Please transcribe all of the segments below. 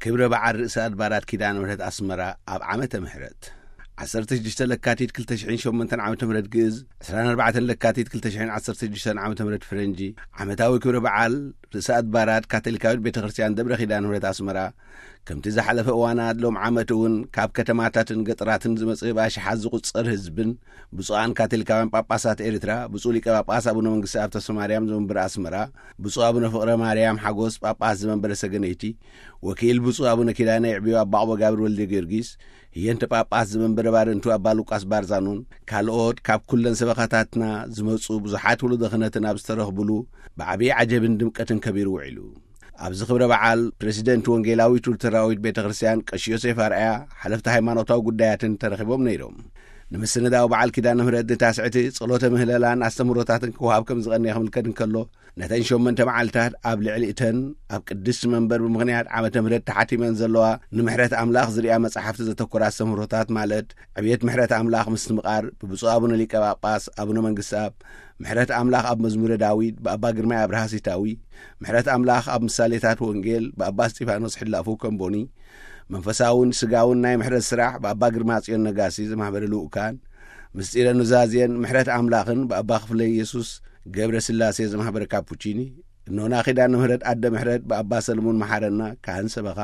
ክብረ በዓል ርእሰ ኣድባራት ኪዳነ ምሕረት ኣስመራ ኣብ ዓመተ ምሕረት ዓሰርተ ሽዱሽተ ለካቲት ክልተ ሽሕን ሸሞንተን ዓመተ ምሕረት ግእዝ፣ ዕስራን ኣርባዕተን ለካቲት ክልተ ሽሕን ዓሰርተ ሽዱሽተን ዓመተ ምሕረት ፍረንጂ፣ ዓመታዊ ክብረ በዓል ርእሰ ኣድባራት ካቶሊካዊት ቤተ ክርስቲያን ደብረ ኪዳነ ምሕረት ኣስመራ፣ ከምቲ ዝሓለፈ እዋናት ሎም ዓመት እውን ካብ ከተማታትን ገጠራትን ዝመጽእ ብኣሽሓት ዝቑጸር ህዝብን ብፁዓን ካቶሊካውያን ጳጳሳት ኤርትራ፣ ብፁዕ ሊቀ ጳጳስ ኣቡነ መንግስቲ ኣብ ተስፋ ማርያም ዘመንበረ ኣስመራ፣ ብፁዕ ኣቡነ ፍቕረ ማርያም ሓጎስ ጳጳስ ዘመንበረ ሰገነይቲ፣ ወኪል ብፁዕ ኣቡነ ኪዳነ ይዕብዮ ኣባ ቁበ ጋብር ወልደ ጊዮርጊስ፣ ህየንተ ጳጳስ ዘመንበረ ባረንቱ ኣባ ሉቃስ ባርዛኖን ካልኦት ካብ ኩለን ሰበኻታትና ዝመጹ ብዙሓት ውሉደ ክህነትን ኣብ ዝተረኽብሉ ብዓብዪ ዓጀብን ድምቀትን ከቢሩ ውዒሉ። ኣብዚ ክብረ በዓል ፕሬዚደንት ወንጌላዊት ሉተራዊት ቤተ ክርስቲያን ቀሺ ዮሴፍ ኣርኣያ፣ ሓለፍቲ ሃይማኖታዊ ጉዳያትን ተረኺቦም ነይሮም። ንምስንዳው በዓል ኪዳነ ምሕረት ንታስዕቲ ጸሎተ ምህለላን ኣስተምህሮታትን ክወሃብ ከም ዝቐነየ ክምልከት እንከሎ፣ ነተን ሸሞንተ መዓልታት ኣብ ልዕሊ እተን ኣብ ቅድስቲ መንበር ብምኽንያት ዓመተ ምሕረት ተሓቲመን ዘለዋ ንምሕረት ኣምላኽ ዝርያ መጻሕፍቲ ዘተኮራ ኣስተምህሮታት፣ ማለት ዕብየት ምሕረት ኣምላኽ ምስትምቓር ብብፁዕ ኣቡነ ሊቀ ጳጳስ ኣቡነ መንግስትኣብ፣ ምሕረት ኣምላኽ ኣብ መዝሙረ ዳዊት ብኣባ ግርማይ ኣብርሃ ሲታዊ፣ ምሕረት ኣምላኽ ኣብ ምሳሌታት ወንጌል ብኣባ እስጢፋኖስ ሕላፉ ከምቦኒ፣ መንፈሳውን ስጋውን ናይ ምሕረት ስራሕ ብኣባ ግርማ ጽዮን ነጋሲ ዘማህበረ ልኡካን፣ ምስጢረ ኑዛዜን ምሕረት ኣምላኽን ብኣባ ክፍለ ኢየሱስ ገብረ ስላሴ ዘማህበረ ካፑቺኒ፣ እኖና ኪዳነ ምሕረት ኣደ ምሕረት ብኣባ ሰለሙን መሓረና ካህን ሰበኻ፣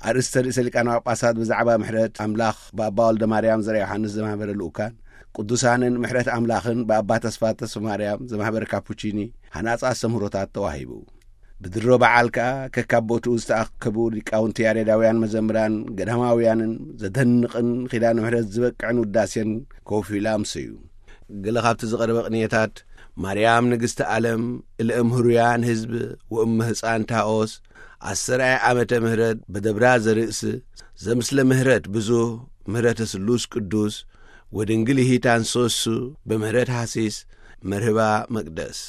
ኣርእስተ ርእሰ ሊቃነ ጳጳሳት ብዛዕባ ምሕረት ኣምላኽ ብኣባ ወልደ ማርያም ዘርኣ ዮሃንስ ዘማህበረ ልኡካን፣ ቅዱሳንን ምሕረት ኣምላኽን ብኣባ ተስፋ ተስፋ ማርያም ዘማህበረ ካፑቺኒ ሃናጺ ኣስተምህሮታት ተዋሂቡ። ብድሮ በዓል ከኣ ከካብ ቦትኡ ዝተኣከቡ ሊቃውንቲ ያሬዳውያን መዘምራን ገዳማውያንን ዘደንቕን ኪዳነ ምሕረት ዝበቅዕን ውዳሴን ኮፍ ኢላ ኣምሰዩ። ገለ ካብቲ ዝቐረበ ቅንየታት፣ ማርያም ንግስቲ ዓለም፣ እልእም ህሩያን ህዝብ፣ ወእመ ህፃን ታኦስ፣ ኣሰራይ ዓመተ ምህረት በደብራ ዘርእስ፣ ዘምስለ ምህረት ብዙህ፣ ምህረተ ስሉስ ቅዱስ፣ ወድንግል ይሂታን ሶሱ፣ በምህረት ሃሲስ፣ መርህባ መቅደስ፣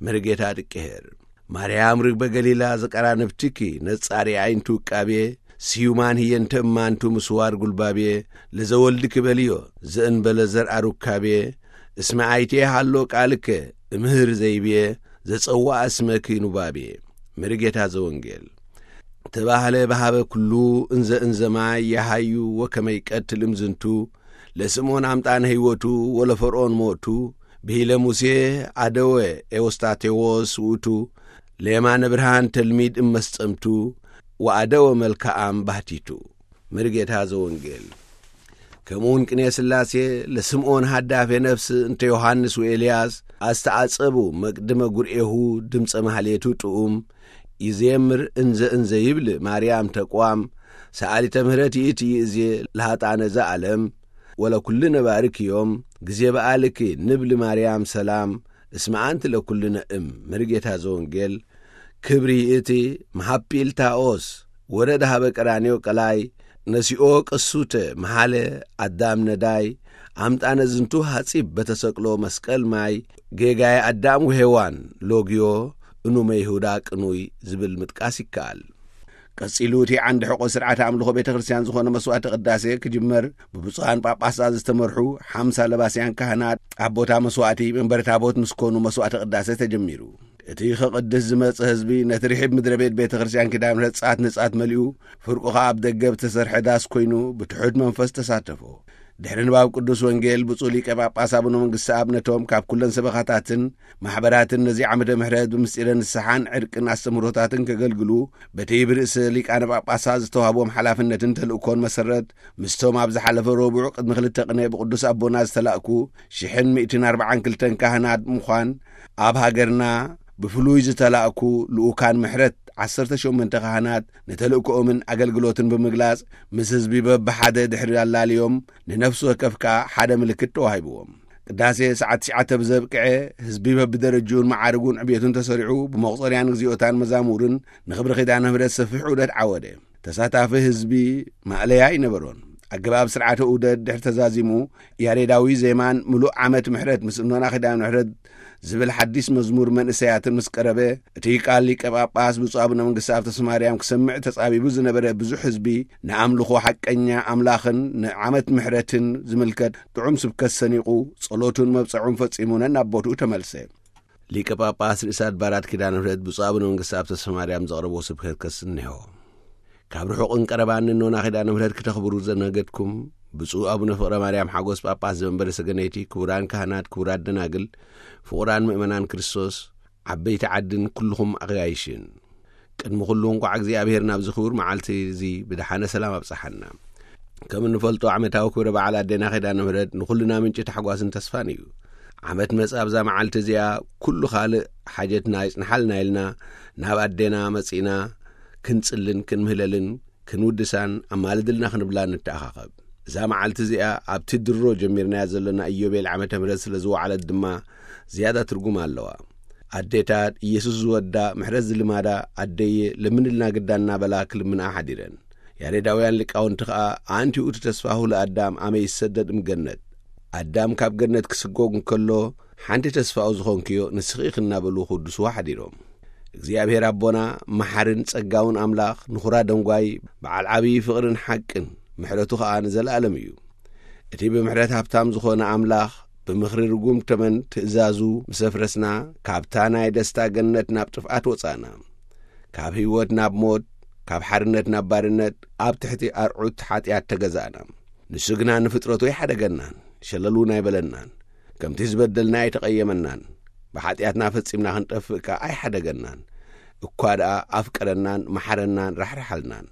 መርጌታ ድቅሄር። ማርያም ርግበ ገሊላ ዘቀራንብትኪ ነጻሪ ዓይንቱ ውቃቤ፣ ስዩማን ህየንተ እማንቱ ምስዋር ጉልባቤ፣ ለዘወልድኪ በልዮ ዘእንበለ ዘርኣ ሩካቤ፣ እስመ ኣይቴ ሃሎ ቃልከ እምህር ዘይቤ፣ ዘጸዋዕ እስመኪ ኑባቤ። መርጌታ ዘወንጌል። ተባህለ በሃበ ኩሉ እንዘ እንዘማይ የሃዩ ወከመይ ቀትል እምዝንቱ፣ ለስምዖን ኣምጣነ ህይወቱ ወለፈርዖን ሞቱ፣ ብሂለ ሙሴ ኣደወ ኤዎስጣቴዎስ ውእቱ፣ ለየማነ ብርሃን ተልሚድ እመስጠምቱ፣ ወኣደወ መልክኣም ባህቲቱ። መርጌታ ዘወንጌል። ከምኡውን ቅኔ ስላሴ ለስምዖን ሃዳፌ ነፍስ እንተ ዮሃንስ ወኤልያስ ኣስተዓጸቡ መቅድመ ጉርኤሁ ድምፀ ማህሌቱ ጥኡም ይዜምር እንዘ እንዘ ይብል ማርያም ተቋም ሰኣሊተ ምህረት ይእቲ ይእዜ ለሃጣነ ዘኣለም ወለኩልነ ባርክዮም ግዜ በኣልኪ ንብል ማርያም ሰላም እስመ ኣንቲ ለኩልነ እም። መርጌታ ዘወንጌል። ክብሪ ይእቲ መሃፒል ታኦስ ወረደ ሃበ ቀራንዮ ቀላይ ነሲኦ ቅሱተ መሃለ ኣዳም ነዳይ ኣምጣነ ዝንቱ ሃጺብ በተሰቅሎ መስቀል ማይ ጌጋየ ኣዳም ወሄዋን ሎግዮ እኑመ ይሁዳ ቅኑይ ዝብል ምጥቃስ ይከኣል። ቀጺሉ እቲ ዓንዲ ሕቆ ስርዓተ ኣምልኾ ቤተ ክርስቲያን ዝኾነ መስዋዕተ ቅዳሴ ክጅመር ብብፁዓን ጳጳሳት ዝተመርሑ ሓምሳ ለባስያን ካህናት ኣብ ቦታ መስዋዕቲ መንበረ ታቦት ምስ ኮኑ መስዋዕተ ቅዳሴ ተጀሚሩ። እቲ ከቕድስ ዝመጸ ህዝቢ ነቲ ርሒብ ምድረ ቤት ቤተ ክርስቲያን ኪዳነ ምሕረት ጻት ንጻት መሊኡ፣ ፍርቁ ኸኣ ኣብ ደገ ብተሰርሐ ዳስ ኮይኑ ብትሑት መንፈስ ተሳተፎ። ድሕሪ ንባብ ቅዱስ ወንጌል ብፁዕ ሊቀ ጳጳስ ኣቡነ መንግስቲ ኣብ ነቶም ካብ ኩለን ሰበኻታትን ማሕበራትን ነዚ ዓመተ ምሕረት ብምስጢረ ንስሓን ዕርቅን ኣስተምህሮታትን ከገልግሉ በቲ ብርእሰ ሊቃነ ጳጳሳት ዝተዋህቦም ሓላፍነትን ተልእኮን መሰረት ምስቶም ኣብ ዝሓለፈ ረቡዕ ቅድሚ ክልተ ቅነ ብቅዱስ ኣቦና ዝተላእኩ ሽሕን ሚእትን ኣርባዓን ክልተን ካህናት ብምዃን ኣብ ሃገርና ብፍሉይ ዝተላእኩ ልኡካን ምሕረት ዓሰርተ ሸሞንተ ካህናት ንተልእኮኦምን ኣገልግሎትን ብምግላጽ ምስ ህዝቢ በብሓደ ድሕሪ ኣላልዮም ንነፍሲ ወከፍ ከኣ ሓደ ምልክት ተዋሂብዎም። ቅዳሴ ሰዓት ትሽዓተ ብዘብቅዐ ህዝቢ በብደረጅኡን መዓርጉን ዕብየቱን ተሰሪዑ ብመቑጸርያን እግዚኣብታን መዛሙርን ንኽብሪ ኪዳነ ምሕረት ሰፊሕ ዑደት ዓወደ። ተሳታፊ ህዝቢ ማእለያ ኣይነበሮን። ኣገባብ ስርዓተ ዑደት ድሕሪ ተዛዚሙ ያሬዳዊ ዜማን ምሉእ ዓመት ምሕረት ምስ እኖና ኪዳነ ምሕረት ዝብል ሓዲስ መዝሙር መንእሰያትን ምስ ቀረበ እቲ ቃል ሊቀ ጳጳስ ብፁዕ ኣቡነ መንግስቲ ኣብተስማርያም ክሰምዕ ተጻቢቡ ዝነበረ ብዙሕ ህዝቢ ንኣምልኾ ሓቀኛ ኣምላኽን ንዓመት ምሕረትን ዝምልከት ጥዑም ስብከት ሰኒቑ ጸሎቱን መብጽዑን ፈጺሙ ነናብ ቦትኡ ተመልሰ። ሊቀ ጳጳስ ርእሰ ኣድባራት ኪዳነ ምሕረት ብፁዕ ኣቡነ መንግስቲ ኣብተስማርያም ዘቕረቦ ስብከት ከስንሖ። ካብ ርሑቕን ቀረባን ንኖና ኪዳነ ምሕረት ክተኽብሩ ዘነገድኩም ብፁዕ ኣቡነ ፍቕረ ማርያም ሓጎስ ጳጳስ ዘመንበረ ሰገነይቲ፣ ክቡራን ካህናት፣ ክቡራት ደናግል፣ ፍቑራን ምእመናን ክርስቶስ፣ ዓበይቲ ዓድን ኩልኹም ኣጋይሽን፣ ቅድሚ ኩሉ እንቋዕ እግዚኣብሔር ናብዚ ክቡር መዓልቲ እዚ ብደሓነ ሰላም ኣብጽሓና። ከም እንፈልጦ ዓመታዊ ክብረ በዓል ኣዴና ኪዳነ ምሕረት ንኹልና ምንጪ ታሕጓስን ተስፋን እዩ። ዓመት መጽእ ኣብዛ መዓልቲ እዚኣ ኩሉ ካልእ ሓጀትና ይጽንሓልና ኢልና ናብ ኣዴና መጺእና ክንጽልን ክንምህለልን ክንውድሳን ኣማልድልና ክንብላ ንተኣኻኸብ። እዛ መዓልቲ እዚኣ ኣብቲ ድሮ ጀሚርናያ ዘለና ኢዮቤል ዓመተ ምሕረት ስለ ዝወዓለት ድማ ዝያዳ ትርጉም ኣለዋ። ኣዴታት ኢየሱስ ዝወዳ ምሕረት ዝልማዳ ኣደየ ለምንልና ግዳ እናበላ ክልምንኣ ሓዲረን። ያሬዳውያን ሊቃውንቲ ኸኣ ኣንቲ ውእቱ ተስፋሁ ለኣዳም ኣመ ይሰደድ እምገነት፣ ኣዳም ካብ ገነት ክስጎግ እንከሎ ሓንቲ ተስፋኡ ዝኾንክዮ ንስኺ ኢኺ እናበሉ ክውድስዎ ሓዲሮም። እግዚኣብሔር ኣቦና መሓርን ጸጋውን ኣምላኽ ንኹራ ደንጓይ በዓል ዓብዪ ፍቕርን ሓቅን ምሕረቱ ኸኣ ንዘለኣለም እዩ። እቲ ብምሕረት ሃብታም ዝኾነ ኣምላኽ ብምኽሪ ርጉም ተመን ትእዛዙ ምስ ኣፍረስና ካብታ ናይ ደስታ ገነት ናብ ጥፍኣት ወጻእና። ካብ ህይወት ናብ ሞት፣ ካብ ሓርነት ናብ ባርነት ኣብ ትሕቲ ኣርዑት ሓጢኣት ተገዛእና። ንሱ ግና ንፍጥረቱ ኣይሓደገናን፣ ሸለል እውን ኣይበለናን። ከምቲ ዝበደልና ኣይተቐየመናን፣ ብሓጢኣትና ፈጺምና ክንጠፍእ ከኣ ኣይሓደገናን። እኳ ደኣ ኣፍቀረናን መሓረናን ራሕርሓልናን።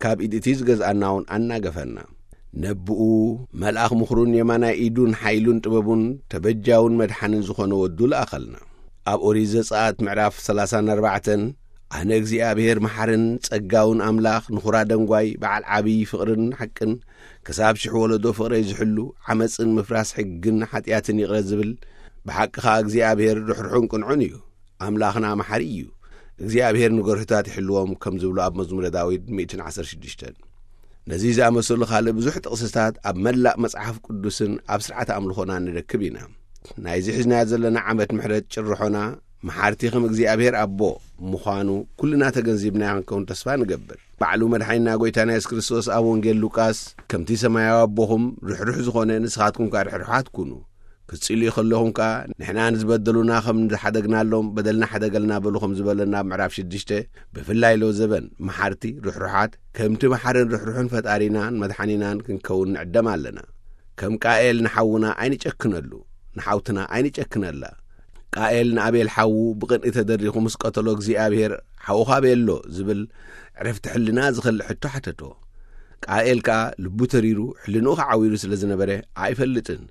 ካብ ኢድ እቲ ዝገዝኣና እውን ኣናገፈና። ነብኡ መልኣኽ ምኽሩን የማናይ ኢዱን ሓይሉን ጥበቡን ተበጃውን መድሓንን ዝኾነ ወዱ ለኣኸልና። ኣብ ኦሪት ዘጸኣት ምዕራፍ ሰላሳን ኣርባዕተን፣ ኣነ እግዚኣብሔር መሓርን ጸጋውን ኣምላኽ ንኹራ ደንጓይ በዓል ዓብዪ ፍቕርን ሓቅን ክሳብ ሽሕ ወለዶ ፍቕረይ ዝሕሉ ዓመጽን ምፍራስ ሕግን ሓጢኣትን ይቕረ ዝብል፣ ብሓቂ ኸኣ እግዚኣብሔር ርሕሩሕን ቅንዑን እዩ። ኣምላኽና መሓሪ እዩ። እግዚኣብሔር ንገርሁታት ይሕልዎም ከም ዝብሉ ኣብ መዝሙረ ዳዊት ሚእትን ዓሰርተ ሽዱሽተን። ነዚ ዝኣመሰሉ ካልእ ብዙሕ ጥቕስታት ኣብ መላእ መጽሓፍ ቅዱስን ኣብ ስርዓት ኣምልኾና ንረክብ ኢና። ናይዚ ሒዝናዮ ዘለና ዓመት ምሕረት ጭርሖና መሓርቲ ከም እግዚኣብሔር ኣቦ ምዃኑ ኩልና ተገንዚብና ክንከውን ተስፋ ንገብር። ባዕሉ መድሓኒና ጎይታና የሱስ ክርስቶስ ኣብ ወንጌል ሉቃስ ከምቲ ሰማያዊ ኣቦኹም ርሕሩሕ ዝኾነ ንስኻትኩም ከኣ ርሕሩሓት ኩኑ። ክትጽልዩ ከለኹም ከኣ ንሕና ንዝበደሉና ከም ዝሓደግናሎም በደልና ሓደገልና በሉ ከም ዝበለና ኣብ ምዕራፍ ሽዱሽተ፣ ብፍላይ ሎ ዘበን መሓርቲ ርሕሩሓት ከምቲ መሓርን ርሕሩሕን ፈጣሪናን መድሓኒናን ክንከውን ንዕደም ኣለና። ከም ቃኤል ንሓውና ኣይንጨክነሉ፣ ንሓውትና ኣይንጨክነላ። ቃኤል ንኣቤል ሓዉ ብቕንኢ ተደሪኹ ምስ ቀተሎ እግዚኣብሔር ሓውኻ ኣበየሎ ዝብል ዕረፍቲ ሕልና ዝኸልእ ሕቶ ሓተቶ። ቃኤል ከኣ ልቡ ተሪሩ ሕልንኡ ከዓዊሩ ስለ ዝነበረ ኣይፈልጥን፣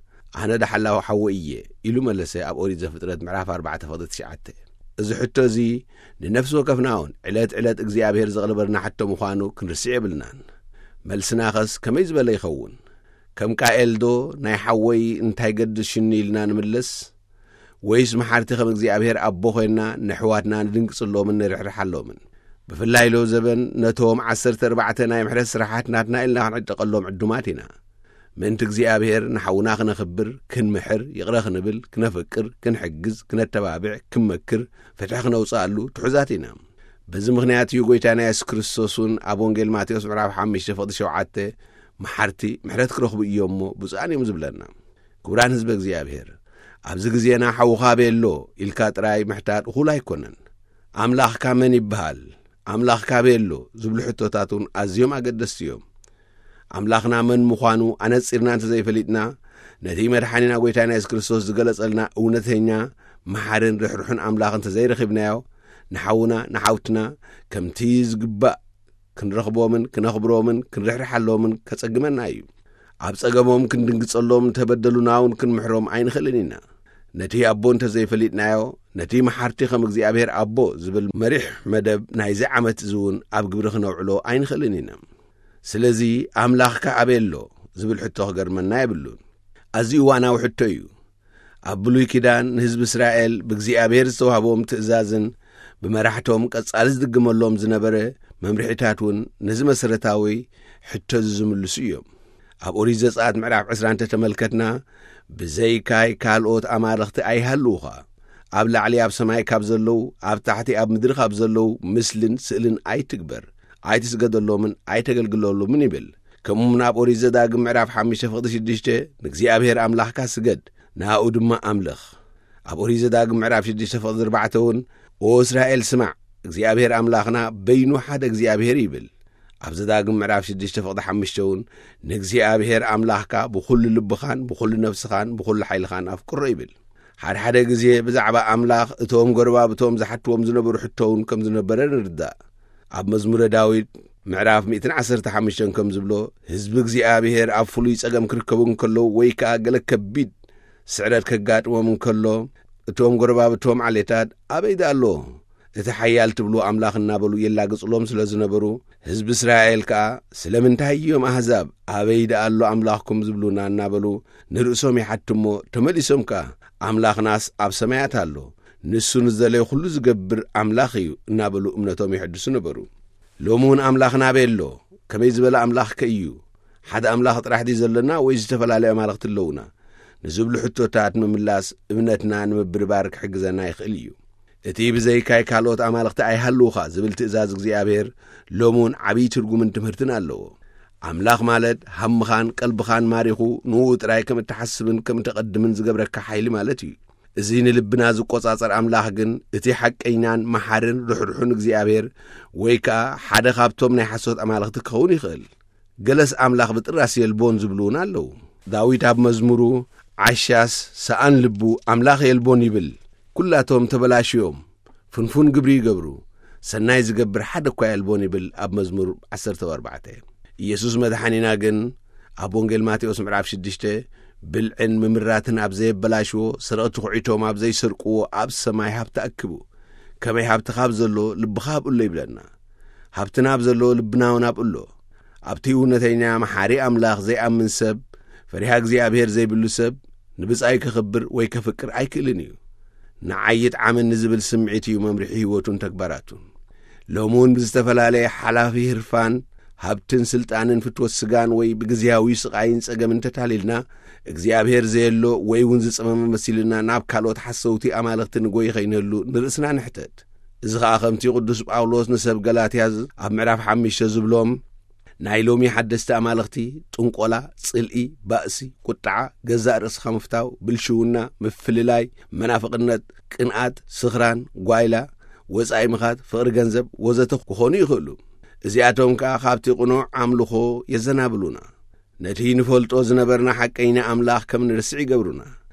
ኣነ ዳሓላዊ ሓወ እየ ኢሉ መለሰ ኣብ ኦሪት ዘፍጥረት ምዕራፍ ኣርባዕተ ፍቕዲ ትሽዓተ። እዚ ሕቶ እዚ ንነፍሲ ወከፍና እውን ዕለት ዕለት እግዚኣብሔር ዘቕርበልና ሕቶ ምዃኑ ክንርስዕ የብልናን። መልስናኸስ ከመይ ዝበለ ይኸውን? ከም ቃኤልዶ ናይ ሓወይ እንታይ ገድስ ሽኒ ኢልና ንምለስ? ወይስ መሓርቲ ከም እግዚኣብሔር ኣቦ ኮይንና ንኣሕዋትና ንድንግጽሎምን ንርሕርሓሎምን? ብፍላይ ሎ ዘበን ነቶም ዓሰርተ ኣርባዕተ ናይ ምሕረት ስራሓት ናትና ኢልና ክንዕጠቐሎም ዕዱማት ኢና። ምእንቲ እግዚኣብሔር ንሓውና ክነኽብር፣ ክንምሕር፣ ይቕረ ክንብል፣ ክነፍቅር፣ ክንሕግዝ፣ ክነተባብዕ፣ ክንመክር፣ ፍትሒ ክነውጽኣሉ ትሑዛት ኢና። በዚ ምኽንያት እዩ ጎይታና የሱስ ክርስቶስ እውን ኣብ ወንጌል ማቴዎስ ምዕራፍ ሓሙሽተ ፍቕዲ ሸውዓተ፣ መሓርቲ ምሕረት ክረኽቡ እዮም እሞ ብፁዓን እዮም ዝብለና። ክቡራን ህዝበ እግዚኣብሔር፣ ኣብዚ ግዜና ሓውኻ ኣበይ ኣሎ ኢልካ ጥራይ ምሕታት እኹል ኣይኮነን። ኣምላኽካ መን ይበሃል? ኣምላኽካ ኣበይ ኣሎ? ዝብሉ ሕቶታት እውን ኣዝዮም ኣገደስቲ እዮም። ኣምላኽና መን ምዃኑ ኣነጺርና እንተዘይፈሊጥና፣ ነቲ መድሓኒና ጎይታና የሱስ ክርስቶስ ዝገለጸልና እውነተኛ መሓርን ርሕሩሕን ኣምላኽ እንተዘይረኺብናዮ፣ ንሓውና ንሓውትና ከምቲ ዝግባእ ክንረኽቦምን ክነኽብሮምን ክንርሕርሓሎምን ከጸግመና እዩ። ኣብ ጸገሞም ክንድንግጸሎም፣ እንተበደሉና እውን ክንምሕሮም ኣይንኽእልን ኢና። ነቲ ኣቦ እንተዘይፈሊጥናዮ፣ ነቲ መሓርቲ ከም እግዚኣብሔር ኣቦ ዝብል መሪሕ መደብ ናይዚ ዓመት እዚ እውን ኣብ ግብሪ ክነውዕሎ ኣይንኽእልን ኢና። ስለዚ ኣምላኽካ ኣበይ ኣሎ ዝብል ሕቶ ክገርመና የብሉን። ኣዝዩ እዋናዊ ሕቶ እዩ። ኣብ ብሉይ ኪዳን ንህዝቢ እስራኤል ብእግዚኣብሔር ዝተዋህቦም ትእዛዝን ብመራሕቶም ቀጻሊ ዝድግመሎም ዝነበረ መምርሒታት እውን ነዚ መሰረታዊ ሕቶ እዚ ዝምልሱ እዮም። ኣብ ኦሪት ዘጸኣት ምዕራፍ ዕስራ እንተተመልከትና፣ "ብዘይካይ ካልኦት ኣማልኽቲ ኣይሃልዉኻ። ኣብ ላዕሊ ኣብ ሰማይ ካብ ዘለዉ፣ ኣብ ታሕቲ ኣብ ምድሪ ካብ ዘለዉ ምስልን ስእልን ኣይትግበር፣ ኣይትስገደሎምን ኣይተገልግለሎምን" ይብል። ከምኡ እውን ኣብ ኦሪት ዘዳግም ምዕራፍ ሓሙሽተ ፍቕዲ ሽዱሽተ፣ "ንእግዚኣብሔር ኣምላኽካ ስገድ፣ ንኣኡ ድማ ኣምልኽ።" ኣብ ኦሪት ዘዳግም ምዕራፍ ሽዱሽተ ፍቕዲ ኣርባዕተ እውን፣ "ኦ እስራኤል ስማዕ፣ እግዚኣብሔር ኣምላኽና በይኑ ሓደ እግዚኣብሔር ይብል። ኣብ ዘዳግም ምዕራፍ ሽዱሽተ ፍቕዲ ሓሙሽተ እውን፣ "ንእግዚኣብሔር ኣምላኽካ ብኹሉ ልብኻን ብኹሉ ነፍስኻን ብኹሉ ሓይልኻን ኣፍቅሮ" ይብል። ሓደ ሓደ ግዜ ብዛዕባ ኣምላኽ እቶም ጎረባብቶም ዝሓትዎም ዝነበሩ ሕቶ እውን ከም ዝነበረ ንርዳእ። ኣብ መዝሙረ ዳዊት ምዕራፍ ሚእትን ዓሰርተ ሓሙሽተን ከም ዝብሎ፣ ህዝቢ እግዚኣብሔር ኣብ ፍሉይ ጸገም ክርከቡ እንከለዉ ወይ ከኣ ገለ ከቢድ ስዕረት ከጋጥሞም እንከሎ፣ እቶም ጎረባብቶም ዓሌታት ኣበይ ደኣ ኣሎ እቲ ሓያል ትብሉ ኣምላኽ እናበሉ የላግጽሎም ስለ ዝነበሩ፣ ህዝቢ እስራኤል ከኣ፣ "ስለምንታይ እዮም ኣህዛብ ኣበይ ደኣ ኣሎ ኣምላኽኩም ዝብሉና?" እናበሉ ንርእሶም ይሓቱ እሞ፣ ተመሊሶም ከኣ፣ "ኣምላኽናስ ኣብ ሰማያት ኣሎ፣ ንሱ ንዝደለዮ ኩሉ ዝገብር ኣምላኽ እዩ" እናበሉ እምነቶም የሐድሱ ነበሩ። ሎሚ እውን ኣምላኽና ኣበይ ኣሎ? ከመይ ዝበለ ኣምላኽ ከ እዩ? ሓደ ኣምላኽ ጥራሕ ድዩ ዘለና ወይ ዝተፈላለዩ ኣማልኽቲ ኣለዉና? ንዝብሉ ሕቶታት ምምላስ እምነትና ንምብርባር ክሕግዘና ይኽእል እዩ። እቲ "ብዘይካይ ካልኦት ኣማልኽቲ ኣይሃልዉኻ" ዝብል ትእዛዝ እግዚኣብሔር ሎሚ እውን ዓብዪ ትርጉምን ትምህርትን ኣለዎ። ኣምላኽ ማለት ሃምኻን ቀልብኻን ማሪኹ ንኡ ጥራይ ከም እትሓስብን ከም እተቐድምን ዝገብረካ ሓይሊ ማለት እዩ። እዚ ንልብና ዝቆጻጸር ኣምላኽ ግን እቲ ሓቀኛን መሓርን ርሕሩሕን እግዚኣብሔር ወይ ከኣ ሓደ ካብቶም ናይ ሓሶት ኣማልኽቲ ክኸውን ይኽእል። ገለስ ኣምላኽ ብጥራስ የልቦን ዝብሉ እውን ኣለዉ። ዳዊት ኣብ መዝሙሩ፣ "ዓሻስ ሰኣን ልቡ ኣምላኽ የልቦን" ይብል። "ኩላቶም ተበላሽዮም፣ ፍንፉን ግብሪ ይገብሩ፣ ሰናይ ዝገብር ሓደ እኳ የልቦን" ይብል ኣብ መዝሙር ዓሰርተ ኣርባዕተ። ኢየሱስ መድሓኒና ግን ኣብ ወንጌል ማቴዎስ ምዕራፍ ሽዱሽተ፣ "ብልዕን ምምራትን ኣብ ዘየበላሽዎ፣ ሰረቕቲ ኹዒቶም ኣብ ዘይሰርቅዎ ኣብ ሰማይ ሃብቲ ኣክቡ። ከመይ ሃብቲ ካብ ዘሎ ልብኻ ኣብኡ ኣሎ" ይብለና። ሃብትና ኣብ ዘሎ ልብና እውን ኣብኡ ኣሎ። ኣብቲ እውነተኛ መሓሪ ኣምላኽ ዘይኣምን ሰብ፣ ፈሪሃ እግዚኣብሔር ዘይብሉ ሰብ፣ ንብጻዩ ከኽብር ወይ ከፍቅር ኣይክእልን እዩ። "ንዓይ ይጥዓመኒ" ዝብል ስምዒት እዩ መምርሒ ህይወቱን ተግባራቱን። ሎሚ እውን ብዝተፈላለየ ሓላፊ ህርፋን፣ ሃብትን ስልጣንን ፍትወት ስጋን ወይ ብግዝያዊ ስቓይን ጸገምን ተታሊልና፣ እግዚኣብሔር ዘየሎ ወይ እውን ዝጸመመ መሲሉና ናብ ካልኦት ሓሰውቲ ኣማልኽቲ ንጎይ ኸይንህሉ ንርእስና ንሕተት። እዚ ኸኣ ከምቲ ቅዱስ ጳውሎስ ንሰብ ገላትያ ዝ-፣ ኣብ ምዕራፍ ሓሙሽተ ዝብሎም፣ ናይ ሎሚ ሓደስቲ ኣማልኽቲ ጥንቆላ፣ ጽልኢ፣ ባእሲ፣ ቁጥዓ፣ ገዛእ ርእስኻ ምፍታው፣ ብልሽውና፣ ምፍልላይ፣ መናፍቕነት፣ ቅንኣት፣ ስኽራን፣ ጓይላ፣ ወጻኢ ምኻድ፣ ፍቕሪ ገንዘብ ወዘተ ክኾኑ ይኽእሉ። እዚኣቶም ከኣ ካብቲ ቅኑዕ ኣምልኾ የዘናብሉና። ነቲ ንፈልጦ ዝነበርና ሓቀኛ ኣምላኽ ከም ንርስዕ ይገብሩና።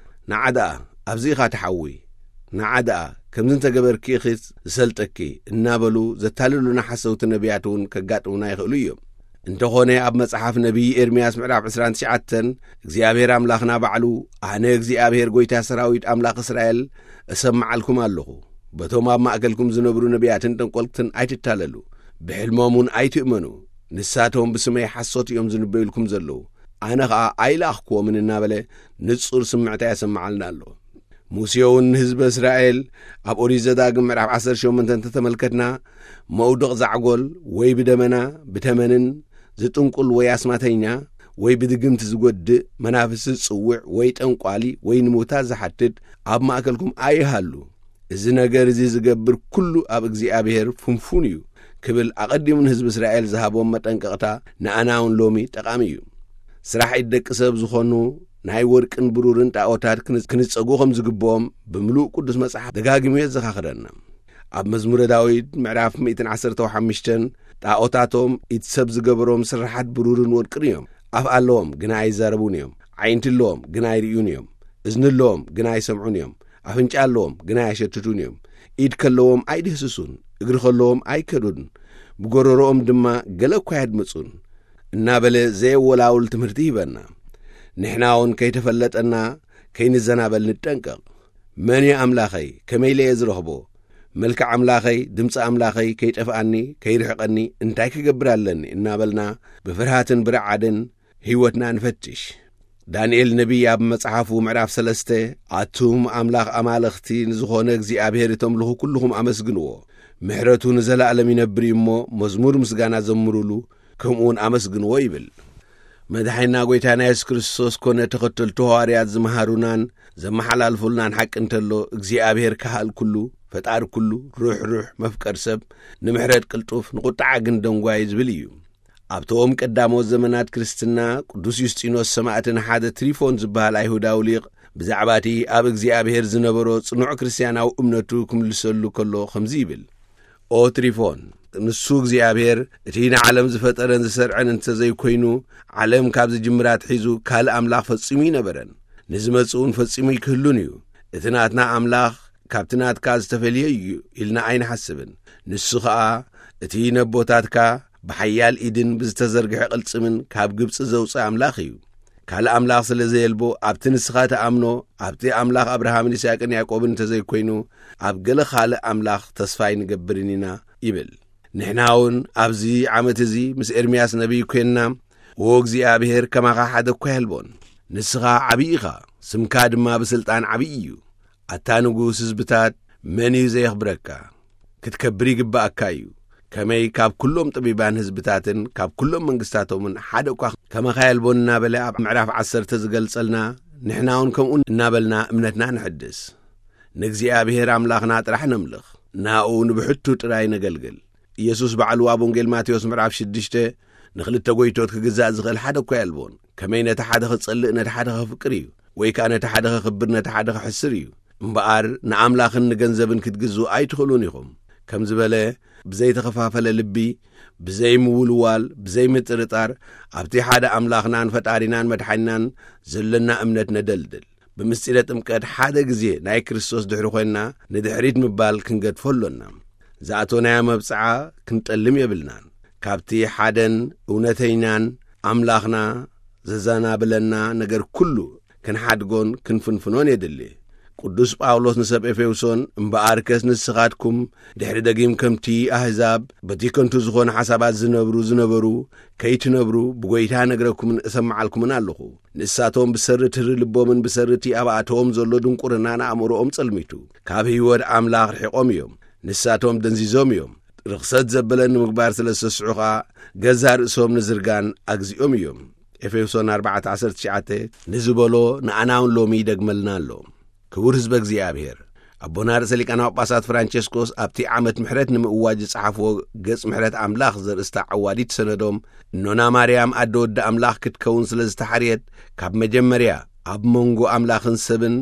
"ንዓ ደኣ ኣብዚ ኢኻ ትሓዊ፣ ንዓ ደኣ ከምዚ እንተገበርኪ ኢኺ ዝሰልጠኪ" እናበሉ ዘታልሉና ሓሰውቲ ነቢያት እውን ከጋጥሙና ይኽእሉ እዮም። እንተኾነ ኣብ መጽሓፍ ነቢይ ኤርምያስ ምዕራፍ ዕስራን ትሽዓተን እግዚኣብሔር ኣምላኽና ባዕሉ፣ "ኣነ እግዚኣብሔር ጐይታ ሰራዊት ኣምላኽ እስራኤል እሰምዓልኩም ኣለኹ። በቶም ኣብ ማእከልኩም ዝነብሩ ነቢያትን ጠንቆልትን ኣይትታለሉ፣ ብሕልሞም እውን ኣይትእመኑ። ንሳቶም ብስመይ ሓሶት እዮም ዝንበዩልኩም ዘለዉ፣ ኣነ ኸኣ ኣይለኣኽክዎምን" እናበለ ንጹር ስምዕታ የሰምዓልና ኣሎ። ሙሴ እውን ንህዝቢ እስራኤል ኣብ ኦሪት ዘዳግም ምዕራፍ ዓሰርተ ሸሞንተ እንተተመልከትና፣ መውድቕ ዛዕጎል ወይ ብደመና፣ ብተመንን ዝጥንቁል ወይ ኣስማተኛ ወይ ብድግምቲ ዝጎድእ፣ መናፍስቲ ዝጽውዕ ወይ ጠንቋሊ ወይ ንምውታት ዝሓትት ኣብ ማእከልኩም ኣይሃሉ። እዚ ነገር እዚ ዝገብር ኩሉ ኣብ እግዚኣብሔር ፍንፉን እዩ ክብል ኣቐዲሙ ንህዝቢ እስራኤል ዝሃቦም መጠንቀቕታ ንኣና እውን ሎሚ ጠቓሚ እዩ። ስራሕ ኢድ ደቂ ሰብ ዝኾኑ ናይ ወርቅን ብሩርን ጣኦታት ክን-፣ ክንጸጉ ከም ዝግብኦም ብምሉእ ቅዱስ መጽሓፍ ደጋጊሙ የዘኻኽረና። ኣብ መዝሙረ ዳዊት ምዕራፍ ሚእትን ዓሰርተ ሓሙሽተን፣ "ጣኦታቶም ኢድ ሰብ ዝገበሮም ስርሓት ብሩርን ወርቅን እዮም። ኣፍ ኣለዎም፣ ግና ኣይዛረቡን እዮም። ዓይንቲ ኣለዎም፣ ግና ኣይርእዩን እዮም። እዝኒ ኣለዎም፣ ግና ኣይሰምዑን እዮም። ኣፍንጫ ኣለዎም፣ ግና ኣየሸትቱን እዮም። ኢድ ከለዎም ኣይድህስሱን፣ እግሪ ከለዎም ኣይከዱን፣ ብጎረሮኦም ድማ ገለ እኳ ኣየድምጹን" እናበለ ዘየወላውል ትምህርቲ ይህበና። ንሕና እውን ከይተፈለጠና ከይንዘናበል ንጠንቀቕ። "መን እዩ ኣምላኸይ? ከመይ ኢለ እየ ዝረኽቦ? መልክዕ ኣምላኸይ፣ ድምፂ ኣምላኸይ ከይጠፍኣኒ፣ ከይርሕቐኒ እንታይ ክገብር ኣለኒ?" እናበልና ብፍርሃትን ብርዓድን ህይወትና ንፈትሽ። ዳንኤል ነቢይ ኣብ መጽሓፉ ምዕራፍ ሰለስተ፣ "ኣቱም ኣምላኽ ኣማልኽቲ ንዝኾነ እግዚኣብሔር እተምልኹ ኩልኹም ኣመስግንዎ፣ ምሕረቱ ንዘለኣለም ይነብር እዩ እሞ፣ መዝሙር ምስጋና ዘምሩሉ፣ ከምኡ እውን ኣመስግንዎ" ይብል። መድሓኒና ጐይታና የሱስ ክርስቶስ ኮነ ተኸተልቱ ሃዋርያት ዝመሃሩናን ዘመሓላልፉልናን ሓቂ እንተሎ፣ እግዚኣብሔር ካህል ኩሉ፣ ፈጣሪ ኩሉ፣ ርሕሩሕ፣ መፍቀር ሰብ፣ ንምሕረት ቅልጡፍ፣ ንቁጥዓ ግን ደንጓይ ዝብል እዩ። ኣብቶም ቀዳሞት ዘመናት ክርስትና፣ ቅዱስ ዩስጢኖስ ሰማእትን ሓደ ትሪፎን ዝበሃል ኣይሁዳዊ ሊቕ ብዛዕባ እቲ ኣብ እግዚኣብሔር ዝነበሮ ጽኑዕ ክርስትያናዊ እምነቱ ክምልሰሉ ከሎ ከምዚ ይብል፣ "ኦ ትሪፎን፣ ንሱ እግዚኣብሔር እቲ ንዓለም ዝፈጠረን ዝሰርዐን እንተዘይኮይኑ፣ ዓለም ካብ ዝጅምራ ኣትሒዙ ካልእ ኣምላኽ ፈጺሙ ኣይነበረን፣ ንዝመጽእ እውን ፈጺሙ ኣይክህሉን እዩ። እቲ ናትና ኣምላኽ ካብቲ ናትካ ዝተፈልየ እዩ ኢልና ኣይንሓስብን። ንሱ ኸኣ እቲ ነቦታትካ ብሓያል ኢድን ብዝተዘርግሐ ቅልጽምን ካብ ግብጺ ዘውጽእ ኣምላኽ እዩ። ካልእ ኣምላኽ ስለ ዘየልቦ፣ ኣብቲ ንስኻ ትኣምኖ፣ ኣብቲ ኣምላኽ ኣብርሃምን ይስሐቅን ያዕቆብን እንተዘይኮይኑ፣ ኣብ ገለ ካልእ ኣምላኽ ተስፋ ኣይንገብርን ኢና ይብል። ንሕና እውን ኣብዚ ዓመት እዚ ምስ ኤርምያስ ነቢይ ኰንና፣ "ዎ እግዚኣብሔር ከማኻ ሓደ እኳ የልቦን። ንስኻ ዓብዪ ኢኻ፣ ስምካ ድማ ብስልጣን ዓብዪ እዩ። ኣታ ንጉስ ህዝብታት፣ መን እዩ ዘየኽብረካ? ክትከብር ይግብኣካ እዩ። ከመይ ካብ ኩሎም ጠቢባን ህዝብታትን ካብ ኩሎም መንግስታቶምን ሓደ እኳ ከማኻ የልቦን?" እናበለ ኣብ ምዕራፍ ዓሰርተ ዝገልጸልና፣ ንሕና እውን ከምኡ እናበልና እምነትና ንሕድስ። ንእግዚኣብሔር ኣምላኽና ጥራሕ ነምልኽ፣ ናኡ ንብሕቱ ጥራይ ነገልግል። ኢየሱስ ባዕሉ ኣብ ወንጌል ማቴዎስ ምዕራፍ ሽዱሽተ፣ "ንኽልተ ጐይቶት ክግዛእ ዝኽእል ሓደ እኳ የልቦን። ከመይ ነቲ ሓደ ኽጸልእ ነቲ ሓደ ኸፍቅር እዩ፣ ወይ ከኣ ነቲ ሓደ ኸኽብር ነቲ ሓደ ኽሕስር እዩ። እምበኣር ንኣምላኽን ንገንዘብን ክትግዝኡ ኣይትኽእሉን ኢኹም" ከም ዝበለ፣ ብዘይተኸፋፈለ ልቢ፣ ብዘይምውልዋል፣ ብዘይምጥርጣር፣ ኣብቲ ሓደ ኣምላኽናን ፈጣሪናን መድሓኒናን ዘሎና እምነት ነደልድል። ብምስጢረ ጥምቀት ሓደ ግዜ ናይ ክርስቶስ ድሕሪ ኾይንና፣ ንድሕሪት ምባል ክንገድፎ ኣሎና። ዝኣቶናዮ መብጽዓ ክንጠልም የብልናን። ካብቲ ሓደን እውነተይናን ኣምላኽና ዘዘናብለና ነገር ኩሉ ክንሓድጎን ክንፍንፍኖን የድሊ። ቅዱስ ጳውሎስ ንሰብ ኤፌሶን፣ "እምበኣርከስ ንስኻትኩም ድሕሪ ደጊም ከምቲ ኣህዛብ በቲ ከንቱ ዝኾነ ሓሳባት ዝነብሩ ዝነበሩ ከይትነብሩ ብጐይታ ነግረኩምን እሰምዓልኩምን ኣለኹ። ንሳቶም ብሰሪ ትሪ ልቦምን ብሰሪ እቲ ኣብ ኣእተዎም ዘሎ ድንቁርና ንኣእምሮኦም ጸልሚቱ፣ ካብ ህይወት ኣምላኽ ርሒቖም እዮም። ንሳቶም ደንዚዞም እዮም። ርኽሰት ዘበለ ንምግባር ስለ ዝተስዑ ኸኣ፣ ገዛእ ርእሶም ንዝርጋን ኣግዚኦም እዮም።" ኤፌሶን ኣርባዕተ ዓሰርተ ትሽዓተ ንዝበሎ ንኣና እውን ሎሚ ይደግመልና ኣሎ። ክቡር ህዝበ እግዚኣብሔር፣ ኣቦና ርእሰ ሊቃነ ጳጳሳት ፍራንቸስኮስ ኣብቲ ዓመት ምሕረት ንምእዋጅ ዝጸሓፍዎ ገጽ ምሕረት ኣምላኽ ዘርእስታ ዓዋዲት ሰነዶም፣ እኖና ማርያም ኣደ ወዲ ኣምላኽ ክትከውን ስለ ዝተሓርየት፣ ካብ መጀመርያ ኣብ መንጎ ኣምላኽን ሰብን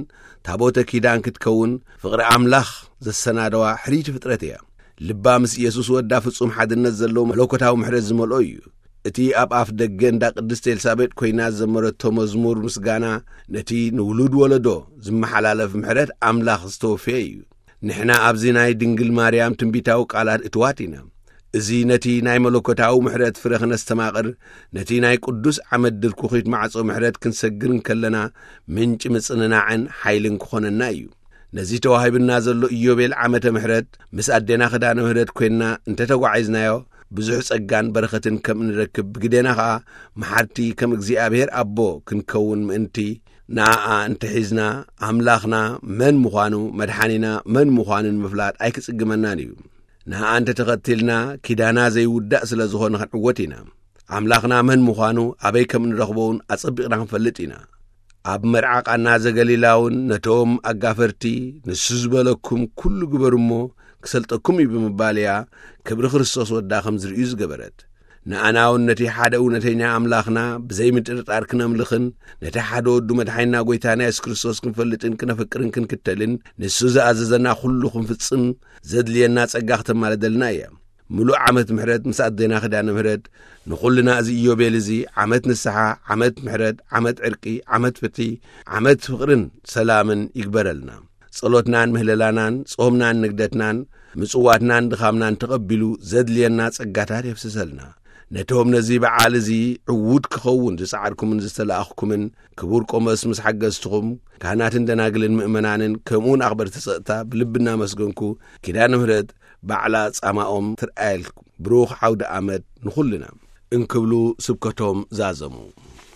ታቦተ ኪዳን ክትከውን ፍቕሪ ኣምላኽ ዘሰናደዋ ሕርይቲ ፍጥረት እያ። ልባ ምስ ኢየሱስ ወዳ ፍጹም ሓድነት ዘለዎ መለኮታዊ ምሕረት ዝመልኦ እዩ። እቲ ኣብ ኣፍ ደገ እንዳ ቅድስቲ ኤልሳቤጥ ኮይና ዝዘመረቶ መዝሙር ምስጋና፣ ነቲ ንውሉድ ወለዶ ዝመሓላለፍ ምሕረት ኣምላኽ ዝተወፈየ እዩ። ንሕና ኣብዚ ናይ ድንግል ማርያም ትንቢታዊ ቃላት እትዋት ኢና። እዚ ነቲ ናይ መለኮታዊ ምሕረት ፍረ ክነስተማቕር፣ ነቲ ናይ ቅዱስ ዓመት ድርኩኺት ማዕጾ ምሕረት ክንሰግር እንከለና፣ ምንጪ ምጽንናዕን ሓይልን ክኾነና እዩ። ነዚ ተዋሂብና ዘሎ ኢዮቤል ዓመተ ምሕረት፣ ምስ ኣዴና ኪዳነ ምሕረት ኮይንና እንተተጓዒዝናዮ፣ ብዙሕ ጸጋን በረኸትን ከም እንረክብ፣ ብግዴና ኸኣ መሓርቲ ከም እግዚኣብሔር ኣቦ ክንከውን ምእንቲ፣ ንኣኣ እንተሒዝና፣ ኣምላኽና መን ምዃኑ፣ መድሓኒና መን ምዃኑ ንምፍላጥ ኣይክጽግመናን እዩ። ንኣኣ እንተተኸቲልና፣ ኪዳና ዘይውዳእ ስለ ዝኾነ ክንዕወት ኢና። ኣምላኽና መን ምዃኑ፣ ኣበይ ከም እንረኽቦ እውን ኣጸቢቕና ክንፈልጥ ኢና። ኣብ መርዓ ቃና ዘገሊላ እውን ነቶም ኣጋፈርቲ፣ "ንሱ ዝበለኩም ኩሉ ግበሩ እሞ ክሰልጠኩም እዩ" ብምባል እያ ክብሪ ክርስቶስ ወዳ ከም ዝርእዩ ዝገበረት። ንኣና እውን ነቲ ሓደ እውነተኛ ኣምላኽና ብዘይምጥርጣር ክነምልኽን፣ ነቲ ሓደ ወዱ መድሓኒና ጐይታና የሱስ ክርስቶስ ክንፈልጥን ክነፍቅርን ክንክተልን፣ ንሱ ዝኣዘዘና ኩሉ ክንፍጽም ዘድልየና ጸጋ ክተማልደልና እያ። ምሉእ ዓመት ምሕረት ምስ ኣዴና ኪዳነ ምሕረት፣ ንኹልና እዚ ኢዮቤል እዚ ዓመት ንስሓ፣ ዓመት ምሕረት፣ ዓመት ዕርቂ፣ ዓመት ፍትሒ፣ ዓመት ፍቕርን ሰላምን ይግበረልና። ጸሎትናን ምህለላናን፣ ጾምናን ንግደትናን፣ ምጽዋትናን ድኻምናን ተቐቢሉ ዘድልየና ጸጋታት የፍስሰልና። ነቶም ነዚ በዓል እዚ ዕዉት ክኸውን ዝጸዓርኩምን ዝተላእኽኩምን፣ ክቡር ቆሞስ ምስ ሓገዝትኹም፣ ካህናትን ደናግልን ምእመናንን፣ ከምኡውን ኣኽበርቲ ጸጥታ ብልቢ እናመስገንኩ፣ ኪዳነ ምሕረት ባዕላ ጻማኦም ትርኣየልኩም። ብሩኽ ዓውደ ዓመት ንኹልና እንክብሉ ስብከቶም ዛዘሙ።